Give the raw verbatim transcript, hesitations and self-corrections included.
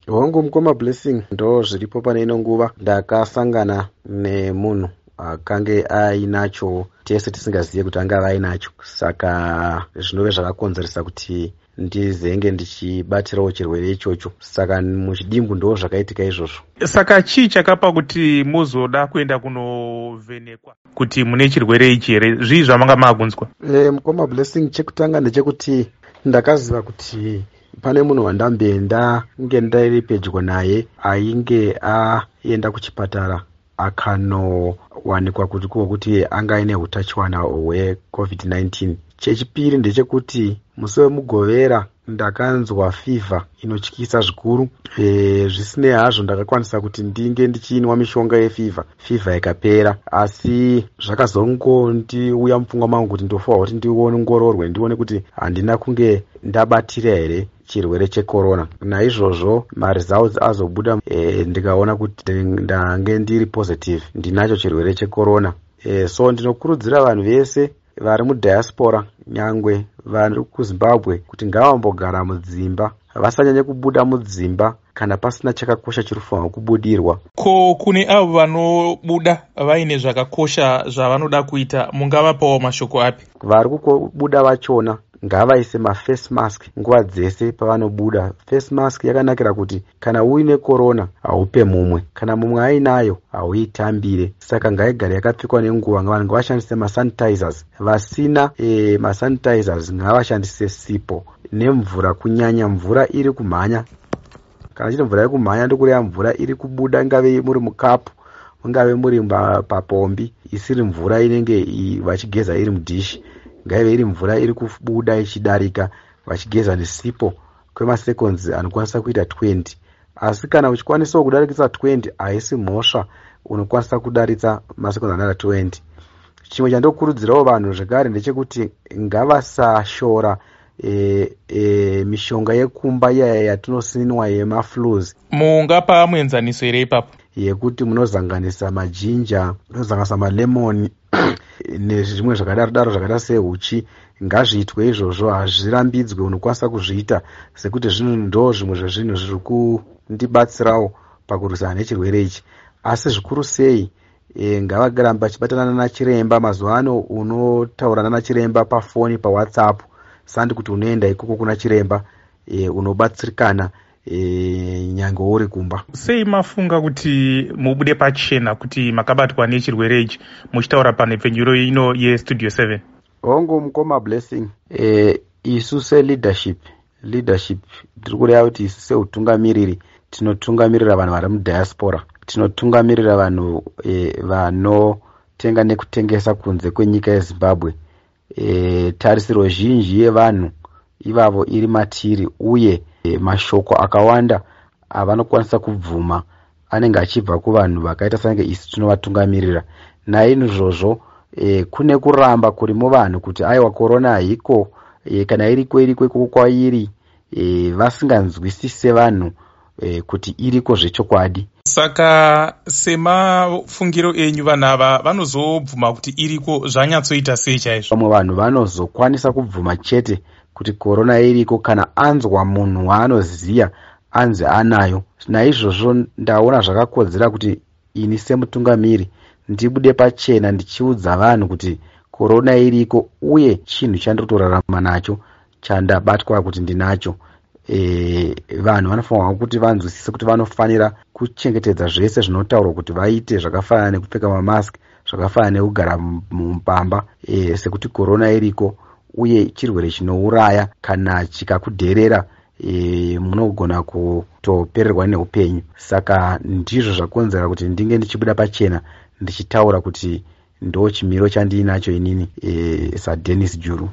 Hongu, mukoma Blessing, ndo zviripo. Pane ino nguva ndakasangana nemunhu akange ainacho, tese tisingazive kuti angava ainacho, saka zvinove zvakakonzeresa kuti ndizenge ndichibatirawo chirwere ichocho. Saka muchidimbu ndo zvakaitika izvozvo. Saka chii chakapa kuti muzoda kuenda kunovhenekwa kuti mune chirwere ichi here? Zvii zvamanga maakunzwa? e, mukoma Blessing, chekutanga ndechekuti ndakaziva kuti pane munhu wandambe ndange ndiri pedyo naye ainge aenda kuchipatara, akanowanikwa kuti kuti anga aine utachiwana hweCOVID nineteen. Chechipiri ndechekuti musi weMugovera ndakanzwa fivha inotyisa zvikuru. e, zvisinei hazvo, ndakakwanisa kuti ndinge ndichinwa mishonga yefivha, fivha ikapera. Asi zvakazongondiuya mupfungwa mangu kuti ndofanirwa kuti ndiongororwe, ndione kuti handina kunge ndabatira here chirwere checorona. Naizvozvo maresults azobuda, e, ndikaona kuti ndange ndiri positive, ndinacho chirwere checorona. e, so ndinokurudzira vanhu vese vari mudiaspora, nyangwe vari kuZimbabwe, kuti ngavambogara mudzimba, vasanyanye kubuda mudzimba kana pasina chakakosha chiri kufanirwa kubudirwa. Ko kune avo vanobuda vaine zvakakosha zvavanoda kuita, mungavapawo mashoko api? Vari kubuda vachona ngavaise maface mask nguva dzese pavanobuda. Face mask yakanakira kuti kana uine korona haupe mumwe, kana mumwe ainayo hauitambire, saka ngaigare yakapfekwa nenguva. Vanhu ngavashandise masanitizers. Vasina e, masanitizers ngavashandise sipo nemvura, kunyanya mvura iri kumhanya. Kana chiti mvura iri kumhanya, ndokureva mvura iri kubuda, ingave muri mukapu, mungave muri papombi, isiri mvura inenge vachigeza iri mudhishi. Ngaive iri mvura iri kubuda ichidarika, vachigeza nesipo kwemasekonzi anokwanisa kuita makumi maviri. Asi kana uchikwanisawo kudarikisa makumi maviri, haisi mhosva, unokwanisa kudaritsa masekonzi anoita makumi maviri. Chimwe chandokurudzirawo vanhu zvekare ndechekuti ngavasashora e, e, mishonga yekumba iyaya yatinosinwa yemaflus. Mungapa muenzaniso here ipapo? Yekuti munozanganisa majinja, munozanganisa malemoni nezvimwe zvakadaro daro zvakaita seuchi. Ngazviitwe izvozvo, hazvirambidzwe, unokwanisa kuzviita, sekuti zvinhu ndo zvimwe zvezvinhu zviri kundibatsirawo pakurwisana nechirwere ichi. Asi zvikuru sei, e, ngavaramba vachibatana nachiremba. Mazuva ano unotaura nanachiremba pafoni, paWhatsApp, sandi kuti unoenda ikoko kuna chiremba. e, unobatsirikana e, nyange uri kumba. Sei mafunga kuti mubude pachena kuti makabatwa nechirwere ichi, muchitaura panhepfenyuro ino yeStudio seven? Hongu, mukoma Blessing, e, isu seleadership, leadership tiri kureva kuti isu seutungamiriri tinotungamirira vanhu vari mudiaspora, tinotungamirira vanhu e, vanotenga nekutengesa kunze kwenyika yeZimbabwe. e, tarisiro zhinji yevanhu ivavo iri matiri, uye e, mashoko akawanda avanokwanisa kubvuma anenge achibva kuvanhu vakaita sange isu tinovatungamirira. Naizvozvo e, kune kuramba kuri muvanhu kuti aiwa, korona haiko, e, kana iriko, iriko ikoko kwairi, e, vasinganzwisise vanhu e, kuti iriko zvechokwadi. Saka semafungiro enyu, vanhu ava vanozobvuma kuti iriko zvanyatsoita sei chaizvo? Vamwe vanhu vanozokwanisa kubvuma chete kuti korona iriko kana anzwa munhu waanoziya anzi anayo. Naizvozvo ndaona zvakakodzera kuti ini semutungamiri ndibude pachena ndichiudza vanhu kuti korona iriko, uye chinhu chandiri kutorarama nacho chandabatwa kuti ndinacho. e, vanhu vanofanirwa kuti vanzwisise kuti vanofanira kuchengetedza zvese zvinotaurwa kuti vaite, zvakafanana nekupfeka mamask, zvakafanana nekugara mupamba, e, sekuti korona iriko uye chirwere chinouraya. Kana chikakudherera, e, munogona kutopererwa neupenyu. Saka ndizvo zvakonzera kuti ndinge ndichibuda pachena ndichitaura kuti ndo chimiro chandiinacho inini e, saDennis Juru.